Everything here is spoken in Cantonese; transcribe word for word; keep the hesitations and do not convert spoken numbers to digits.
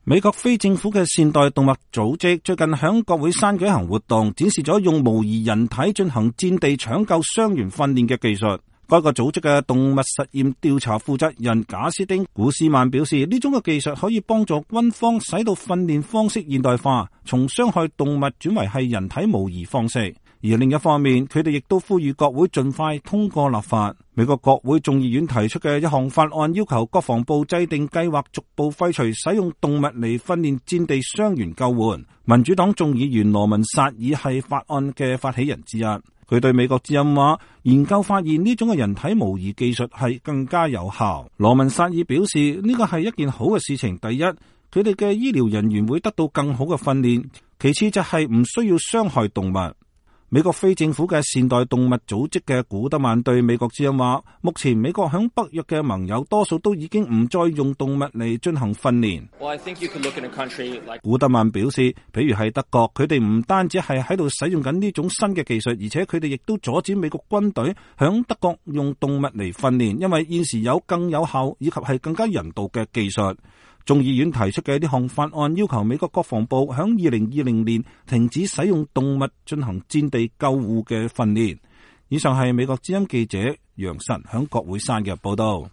美國非政府嘅善待動物組織最近響國會山舉行活動，展示咗用模擬人體進行戰地搶救傷員訓練嘅技術。該個組織嘅動物實驗調查負責人賈斯丁古斯曼表示，呢種嘅技術可以幫助軍方使到訓練方式現代化，從傷害動物轉為係人體模擬方式。而另一方面，佢哋亦都呼籲國會盡快通過立法。美國國會眾議院提出嘅一項法案，要求國防部制定計劃，逐步廢除使用動物嚟訓練戰地傷員救援。民主黨眾議員羅文薩爾係法案嘅發起人之一。佢對美國之音話，研究發現呢種嘅人體模擬技術係更加有效。羅文薩爾表示，呢個係一件好嘅事情。第一，佢哋嘅醫療人員會得到更好嘅訓練；其次就係唔需要傷害動物。美國非政府嘅善待動物組織嘅古德曼對美國之音話，目前美國響北約嘅盟友多數都已經唔再用動物嚟進行訓練。Well, I think you could look in a country like... 古德曼表示，譬如係德國，佢哋唔單止係喺度使用緊呢種新嘅技術，而且佢哋亦都阻止美國軍隊響德國用動物嚟訓練，因為現時有更有效以及係更加人道嘅技術。眾議院提出嘅呢項法案要求美國國防部響二零二零年停止使用動物進行戰地救護嘅訓練。以上係美國之音記者楊晨響國會山嘅報道。